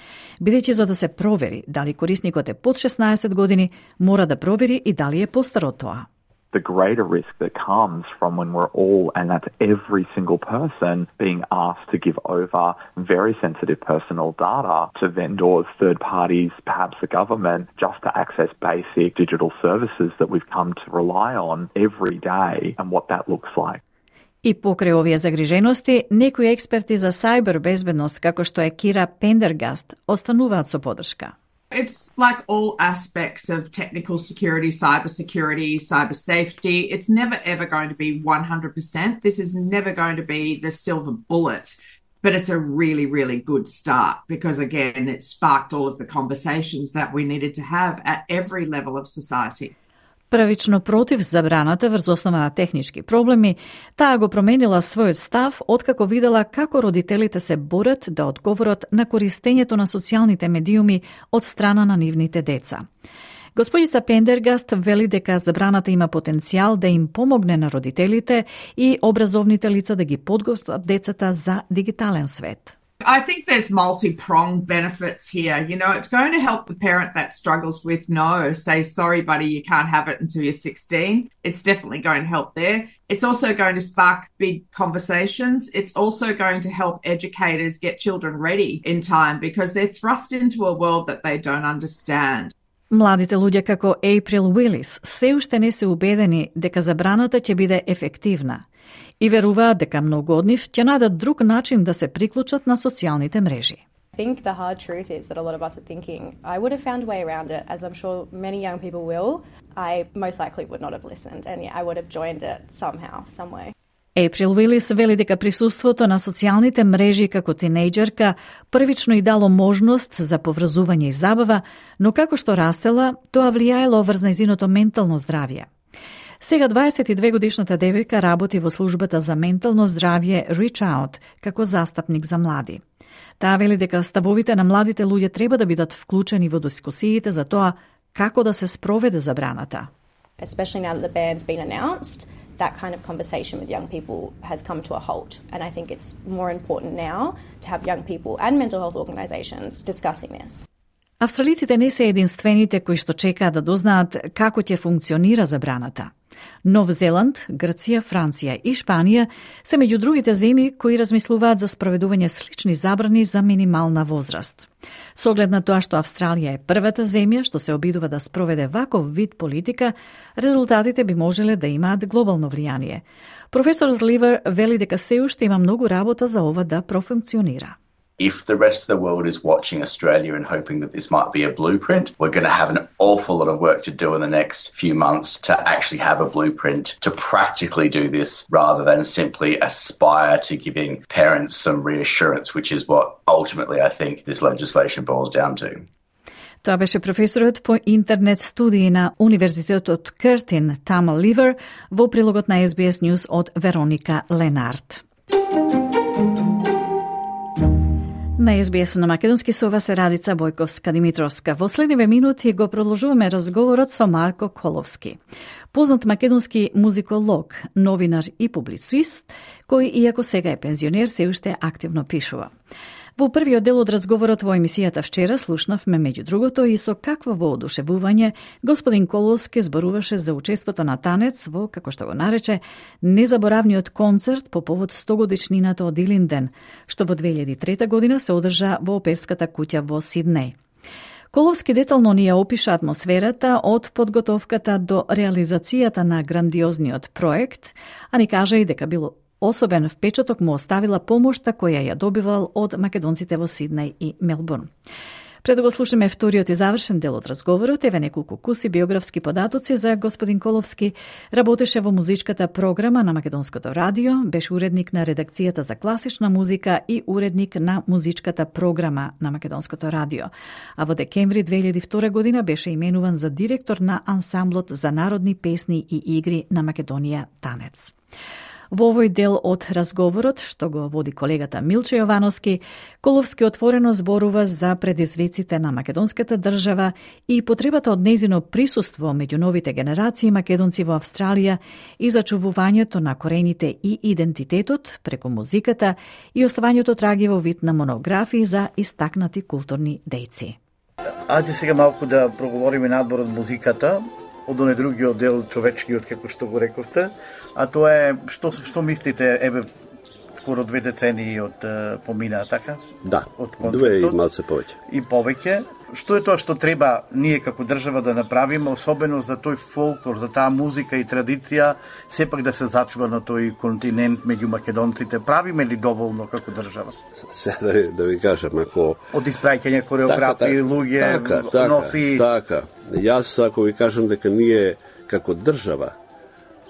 S3: бидејќи за да се провери дали корисникот е под 16 години, мора да провери и дали е постар од тоа.
S18: The greater risk that comes from when we're all, and that's every single person, being asked to give over very sensitive personal data to vendors, third parties, perhaps the government, just to access basic digital services that we've come to rely on every day and what that looks like.
S3: И покрај овие загрижености, некои експерти за сајбер безбедност, како што е Кира Пендергаст, остануваат со подршка.
S20: It's like all aspects of technical security, cyber safety. It's never ever going to be 100%. This is never going to be the silver bullet, but it's a really, really good start because, again, it sparked all of the conversations that we needed to have at every level of society.
S3: Првично против забраната врз основа на технички проблеми, таа го променила својот став откако видела како родителите се борат да одговорат на користењето на социјалните медиуми од страна на нивните деца. Господица Пендергаст вели дека забраната има потенцијал да им помогне на родителите и образовните лица да ги подготват децата за дигитален свет.
S20: I think there's multi-pronged benefits here. You know, it's going to help the parent that struggles with no, say, sorry, buddy, you can't have it until you're 16. It's definitely going to help there. It's also going to spark big conversations. It's also going to help educators get children ready in time because they're thrust into a world that they don't understand.
S3: Младите луѓе како April Willis се уште не се убедени дека забраната ќе биде ефективна и веруваат дека многу од нив ќе најдат друг начин да се приклучат на социјалните мрежи.
S21: I think the hard truth is that a lot of us are thinking, I would have found a way around it, as I'm sure many young people will. I most likely would not have listened, and I would have joined it somehow, some way.
S3: April Willis вели дека присуството на социјалните мрежи како тинејџерка првично и дало можност за поврзување и забава, но како што растела, тоа влијаело врз нејзиното ментално здравје. Сега 22-годишната девојка работи во службата за ментално здравје Reach Out како застапник за млади. Таа вели дека ставовите на младите луѓе треба да бидат вклучени во дискусиите за тоа како да се спроведе забраната.
S21: Especially now that the ban's been announced, that kind of conversation with young people has come to a halt. And I think it's more important now to have young people and mental health organisations discussing this.
S3: Австралиците не се единствените кои што чекаат да дознаат како ќе функционира забраната. Нов Зеланд, Грција, Франција и Шпанија се меѓу другите земји кои размислуваат за спроведување слични забрани за минимална возраст. Со оглед на тоа што Австралија е првата земја што се обидува да спроведе ваков вид политика, резултатите би можеле да имаат глобално влијание. Професор Ливер вели дека се уште има многу работа за ова да профункционира.
S19: If the rest of the world is watching Australia and hoping that this might be a blueprint, we're going to have an awful lot of work to do in the next few months to actually have a blueprint to practically do this rather than simply aspire to giving parents some reassurance, which is what ultimately I think this legislation boils down to.
S3: Тоа беше професорот по интернет студии на Универзитетот Кертин Тамал Ливер во прилогот на SBS News од Вероника Ленард. На SBS на македонски со вас е Радица Бојковска-Димитровска. Во следниве минути го продолжуваме разговорот со Марко Коловски, познат македонски музиколог, новинар и публицист, кој, иако сега е пензионер, се уште активно пишува. Во првиот дел од разговорот во емисијата вчера слушнавме меѓу другото и со какво воодушевување господин Коловски зборуваше за учеството на танец во, како што го нарече, незаборавниот концерт по повод 100-годишнината од Илинден, што во 2003 година се одржа во Оперската куќа во Сиднеј. Коловски детално ни ја опиша атмосферата од подготовката до реализацијата на грандиозниот проект, а ни кажа и дека било особен впечаток му оставила помошта која ја добивал од македонците во Сиднеј и Мелбурн. Пред да го слушаме вториот и завршен дел од разговорот, еве неколку куси биографски податоци за господин Коловски. Работеше во музичката програма на Македонското радио, беше уредник на редакцијата за класична музика и уредник на музичката програма на Македонското радио. А во декември 2002 година беше именуван за директор на ансамблот за народни песни и игри на Македонија Танец. Во овој дел од разговорот, што го води колегата Милче Јовановски, Коловски отворено зборува за предизвиците на македонската држава и потребата од нејзино присуство меѓу новите генерации македонци во Австралија и зачувувањето на корените и идентитетот преку музиката и оставањето траги во вид на монографии за истакнати културни дејци.
S2: Ајде сега малку да проговориме надвор од музиката, од оне другиот дел човечкиот, како што го рековте, а тоа е, што мислите, еве, скоро 2 децении од помина, така?
S22: Да,
S2: од
S22: 2 и малце повеќе.
S2: И повеќе. Што е тоа што треба ние како држава да направиме, особено за тој фолклор, за таа музика и традиција, сепак да се зачува на тој континент меѓу македонците? Правиме ли доволно како држава?
S22: Сега да ви кажам, ако...
S2: Од испраќање кореографии, луѓе, носи...
S22: Така. Јас, ако ви кажам дека ние како држава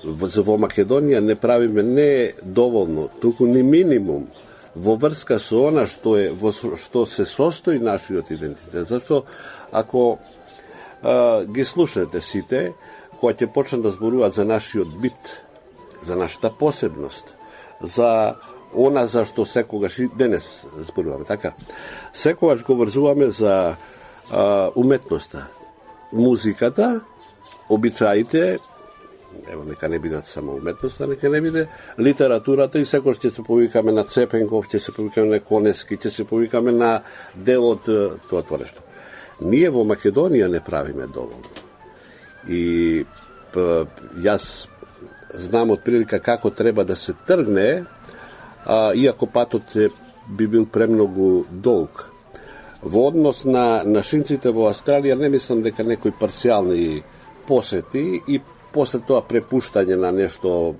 S22: во Македонија не правиме не доволно, туку ни минимум во врска со она што се состои нашиот идентитет. Зашто ако ги слушнете сите, кога ќе почнат да зборуваат за нашиот бит, за нашата посебност, за она за што секогаш и денес зборуваме, така? Секогаш го врзуваме за уметноста, музиката, обичаите, ево, нека не бидат само уметноста, нека не биде литературата и секој ќе се повикаме на Цепенков, ќе се повикаме на Конески, ќе се повикаме на дел од тоа нешто. Ние во Македонија не правиме доволно. И јас знам од прилика како треба да се тргне, иако патот би бил премногу долг. Во однос на шинците во Австралија не мислам дека некои парцијални посети и после тоа препуштање на нешто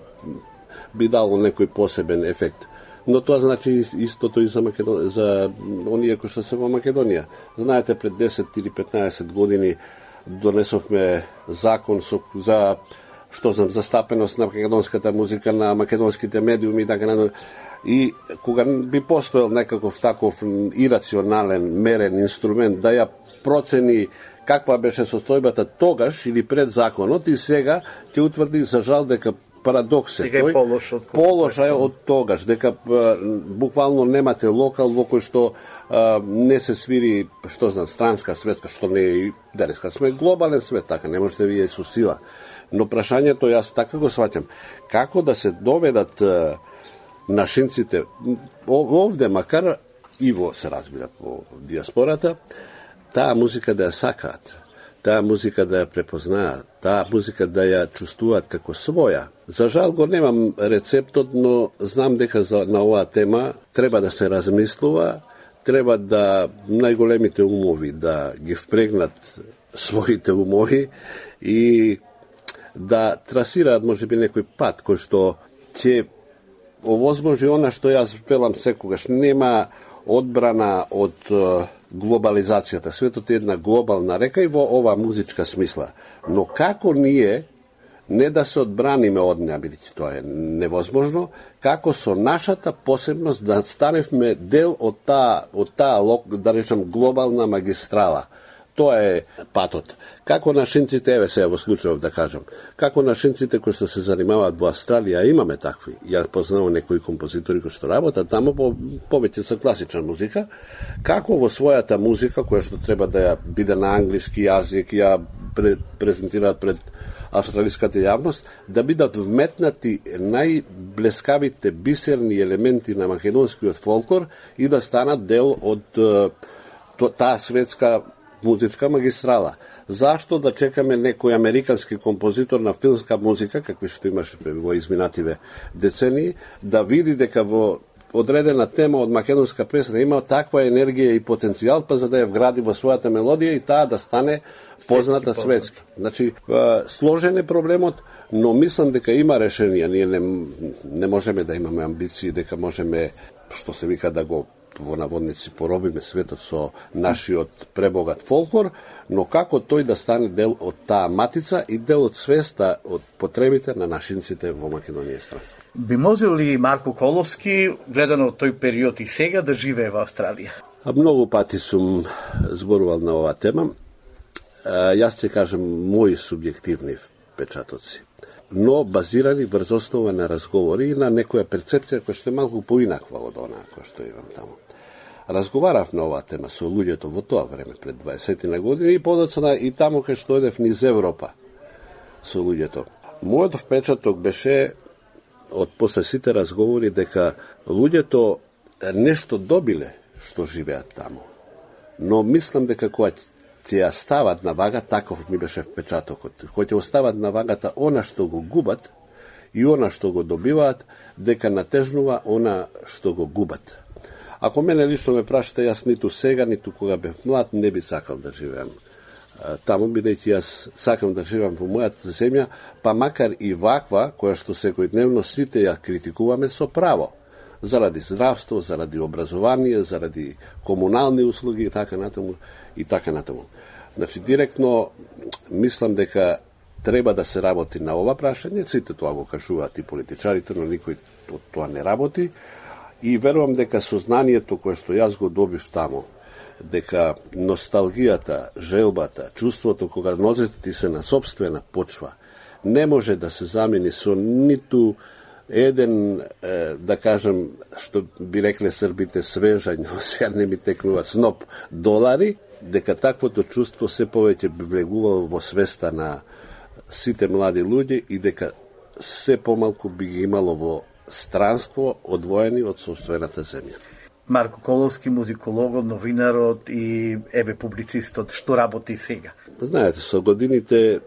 S22: би дало некој посебен ефект. Но тоа значи истото и за оние кои што се во Македонија. Знаете, пред 10 или 15 години донесовме закон за што знам, застапеност на македонската музика, на македонските медиуми и така натаму. И кога би постоел некаков таков ирационален, мерен инструмент да ја процени каква беше состојбата тогаш или пред законот и сега ќе утврди за жал дека парадокс е тој, положај од тогаш, дека буквално немате локал во кој што не се свири, што знам, странска светска, што не е денеска. Сме глобален свет, така, не можете вие со сила. Но прашањето, јас така го сваќам, како да се доведат нашинците овде, макар и во, се разбира, по диаспората, таа музика да ја сакаат, таа музика да ја препознаат, таа музика да ја чувствуваат како своја. За жал го немам рецептот, но знам дека на оваа тема треба да се размислува, треба да најголемите умови да ги впрегнат своите умови и да трасираат можеби некој пат кој што ќе овозможи она што јас велам секогаш, нема одбрана од глобализацијата. Светот е една глобална река и во ова музичка смисла. Но како ние не да се одбраниме од неа, бидејќи тоа е невозможно, како со нашата посебност да станевме дел од таа да речем глобална магистрала. Тоа е патот. Како нашинците, еве сега во случајов да кажам, како нашинците кои што се занимаваат во Австралија, имаме такви. Ја познавам некои композитори кои што работат таму повеќе со класична музика, како во својата музика која што треба да ја биде на англиски јазик, ја презентираат пред австралиската јавност, да бидат вметнати најблескавите бисерни елементи на македонскиот фолклор и да станат дел од таа светска музичка магистрала. Зашто да чекаме некој американски композитор на филмска музика, какви што имаше во изминативе децении, да види дека во одредена тема од македонска песна има таква енергија и потенцијал, па за да ја вгради во својата мелодија и таа да стане позната светски. Значи, сложен е проблемот, но мислам дека има решенија. Ние не можеме да имаме амбиции, дека можеме, што се вика, да го во наводници поробиме светот со нашиот пребогат фолклор, но како тој да стане дел од таа матица и дел од свеста од потребите на нашинците во Македонија и странство.
S2: Би можел ли Марко Коловски, гледано од тој период и сега, да живее во Австралија?
S22: Многу пати сум зборувал на оваа тема. Јас ќе кажем мои субјективни впечатоци, но базирани врз основа на разговори и на некоја перцепција која што е малку поинаква од онаа која што имам таму. Разговарав на оваа тема со луѓето во тоа време пред 20 на години и подоцна и таму кај што одев низ Европа со луѓето. Мојот впечаток беше од после сите разговори дека луѓето нешто добиле што живеат таму. Но мислам дека кога ќе ја стават на вага, таков ми беше впечатокот, кога ќе остават на вагата она што го губат и она што го добиваат, дека натежнува она што го губат. Ако мене лично ме прашате, јас ниту сега, ниту кога бев млад, не би сакал да живеам таму, бидејќи јас сакам да живеам во мојата земја, па макар и ваква, која што секојдневно сите ја критикуваме со право, заради здравство, заради образование, заради комунални услуги и така натаму и така натаму. Значи директно мислам дека треба да се работи на ова прашање, сите тоа го кажуваат и политичарите, но никој од тоа не работи и верувам дека сознанието кое што јас го добив таму, дека носталгијата, желбата, чувството кога нозете ти се на собствена почва не може да се замени со ниту еден, да кажем, што би рекле србите свежањ, сега не ми текнува сноп долари, дека таквото чувство се повеќе би влегувало во свеста на сите млади луѓе и дека се помалку би ги имало во странство одвоени од собствената земја.
S2: Марко Коловски, музикологот, новинарот и еве публицистот, што работи сега?
S22: Знаете, со годините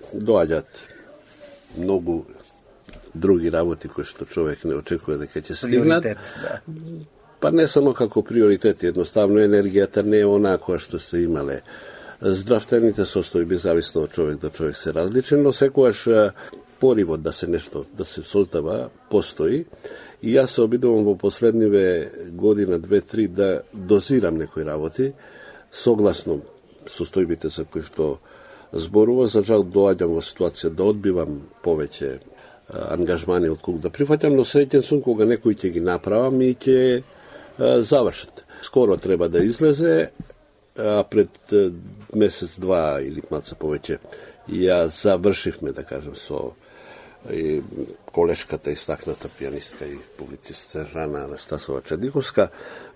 S22: доаѓаат многу други работи кои што човек не очекува дека ќе стигнат.
S2: Да.
S22: Па не само како приоритет, едноставно енергијата не е онаа која што се имале. Здравствените состојби, зависно од човек до човек, се различен, но секогаш поривот да се нешто, да се создава, постои. И јас се обидувам во последниве година, 2-3, да дозирам некои работи, согласно состојбите за кои што зборува. За жал доаѓам во ситуација да одбивам повеќе ангажмани од колку да прифаќам, но среќен сум кога некои ќе ги направам и ќе завршат. Скоро треба да излезе, а пред месец-два или малце повеќе ја завршивме, да кажем, со и колешката истакната пианистка и публицистка Жана Анастасова Чадиковска,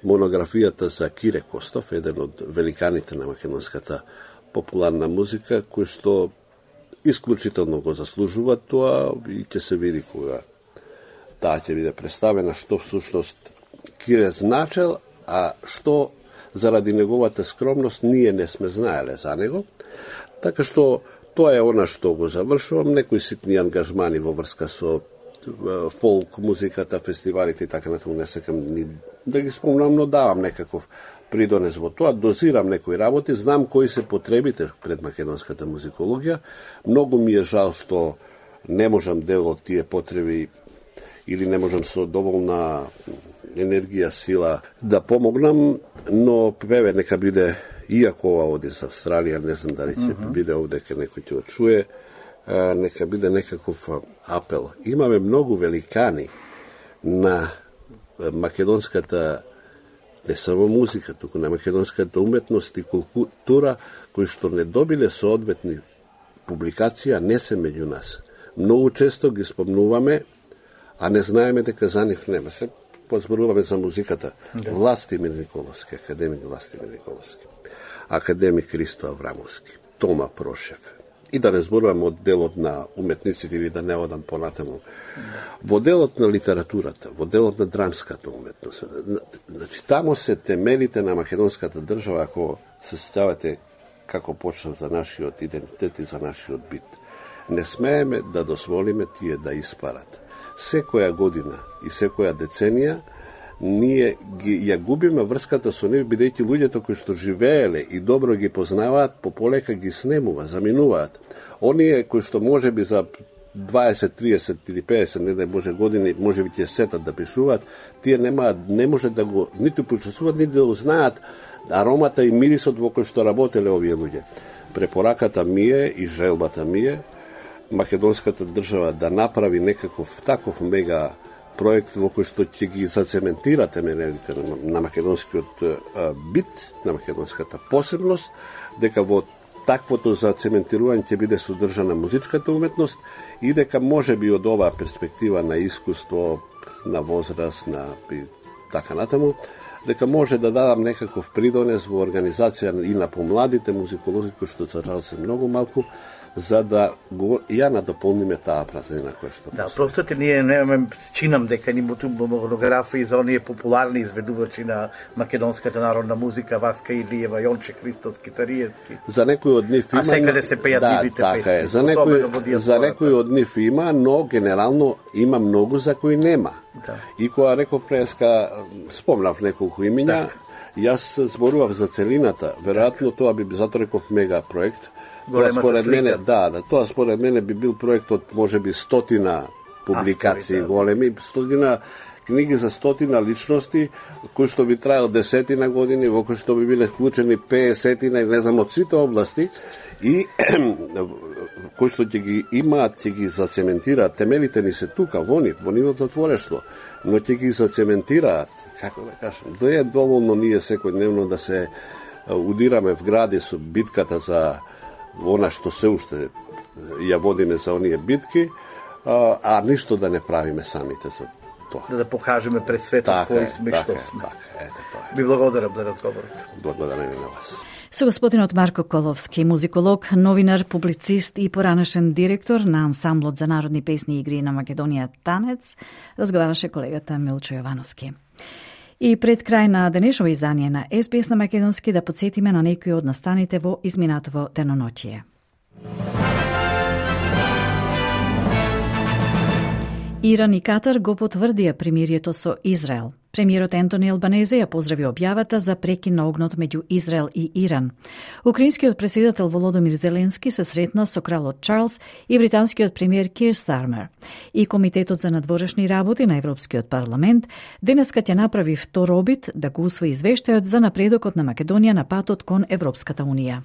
S22: монографијата за Кире Костов, еден од великаните на македонската популарна музика, кој што исклучително го заслужува тоа и ќе се види кога таа ќе биде представена што всушност Кире значел, а што заради неговата скромност ние не сме знаеле за него. Така што тоа е она што го завршувам, некои ситни ангажмани во врска со фолк музиката, фестивалите и така натаму, не секам ни да ги спомнам, но давам некаков придонес во тоа, дозирам некои работи, знам кои се потребите пред македонската музикологија. Многу ми е жал што не можам дел од тие потреби или не можам со доволна енергија, сила да помогнам, но певе нека биде, иако ова оди за Австралија, не знам дали ќе биде овде ке некој ќе чуе, нека биде некаков апел. Имаме многу великани на македонската, не само музика, туку на македонската уметност и култура, кои што не добиле соодветни публикација, не се меѓу нас. Многу често ги спомнуваме, а не знаеме дека за нив нема. Се позборуваме за музиката. Да. Властимир Николовски, академик Властимир Николовски, академик Христо Аврамовски, Тома Прошев. И да не зборувам од делот на уметниците или да не одам понатаму. Во делот на литературата, во делот на драмската уметност. Значи, тамо се темелите на македонската држава, ако се сеќавате како почнав за нашиот идентитет и за нашиот бит. Не смееме да дозволиме тие да испарат. Секоја година и секоја деценија ние ја губиме врската со нив, бидејќи луѓето кои што живееле и добро ги познаваат, пополека ги снемува, заминуваат. Оние кои што можеби за 20, 30 или 50, не може години, може би ќе сетат да пишуваат, тие не може да го ниту почувствуваат, ниту да узнаат аромата и мирисот во кој што работеле овие луѓе. Препораката ми е и желбата ми е македонската држава да направи некаков таков мега проект во кој што ќе ги зацементира темелите на македонскиот бит, на македонската посебност, дека во таквото зацементирање ќе биде содржана музичката уметност и дека може би од оваа перспектива на искуство, на возраст, на така натаму, дека може да дадам некаков придонес во организација и на помладите музиколози кои што се многу малку, за да ја надополниме таа празнина која што
S2: да, простите, ние немаме чинам дека ни монографии за оние популарни изведувачи на македонската народна музика, Васка Илиева, Јонче Христовски, Цариевски.
S22: За некои од нив има,
S2: а секаде се пеат нивите песни.
S22: За некои од нив има, но генерално има многу за кои нема.
S2: Да.
S22: И кога реков преска, спомнав неколку имиња, јас зборував за целината, веројатно тоа би затоа реков мега проект. Тоа според мене, тоа според мене би бил проект од можеби 100 публикации големи, 100 книги за 100 личности, кои што би траел 10 години, во кои што би биле вклучени 50 и не знам од сите области и кои што ќе ги имаат, ќе ги зацементираат. Темелите ни се тука, во нивото творештво, но ќе ги зацементираат, како да кажам, да е доволно ние секојдневно да се удираме в гради со битката за она што се уште ја водиме за оние битки, а ништо да не правиме самите за тоа.
S2: Да покажеме пред светот кои сме што сме. Ви благодарам за разговорот.
S22: Благодарам и на вас.
S3: Со господинот Марко Коловски, музиколог, новинар, публицист и поранешен директор на ансамблот за народни песни и игри на Македонија Танец, разговараше колегата Милчо Јовановски. И пред крај на денешово издание на SBS на македонски да подсетиме на некои од настаните во изминатово деноноќие. Иран и Катар го потврдија примирието со Израел. Премиерот Ентони Албанезе ја поздрави објавата за прекин на огнот меѓу Израел и Иран. Украинскиот претседател Володомир Зеленски се сретна со кралот Чарлс и британскиот премиер Кир Стармер. И Комитетот за надворешни работи на Европскиот парламент денеска ќе направи втор обид да го усвои извештајот за напредокот на Македонија на патот кон Европската унија.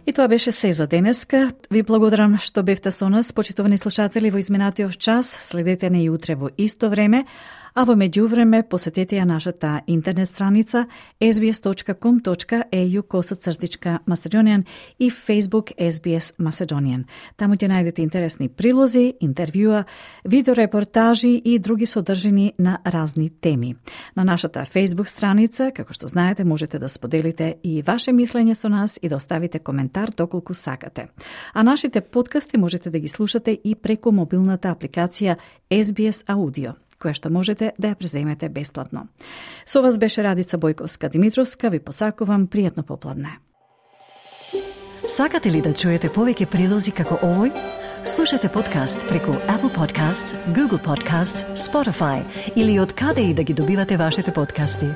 S3: И тоа беше се за денеска. Ви благодарам што бевте со нас, почитувани слушатели, во изминатиот час. Следете не и утре во исто време, а во меѓувреме посетете ја нашата интернет страница sbs.com.au/Macedonian и Facebook SBS Macedonian. Таму ќе најдете интересни прилози, интервјуа, видеорепортажи и други содржини на разни теми. На нашата Facebook страница, како што знаете, можете да споделите и ваше мислење со нас и да оставите коментар доколку сакате. А нашите подкасти можете да ги слушате и преку мобилната апликација SBS Audio, која што можете да ја преземете бесплатно. Со вас беше Радица Бојковска-Димитровска, ви посакувам пријатно попладне.
S15: Сакате ли да чуете повеќе прилози како овој? Слушате подкаст преку Apple Podcasts, Google Podcasts, Spotify или од каде и да ги добивате вашите подкасти.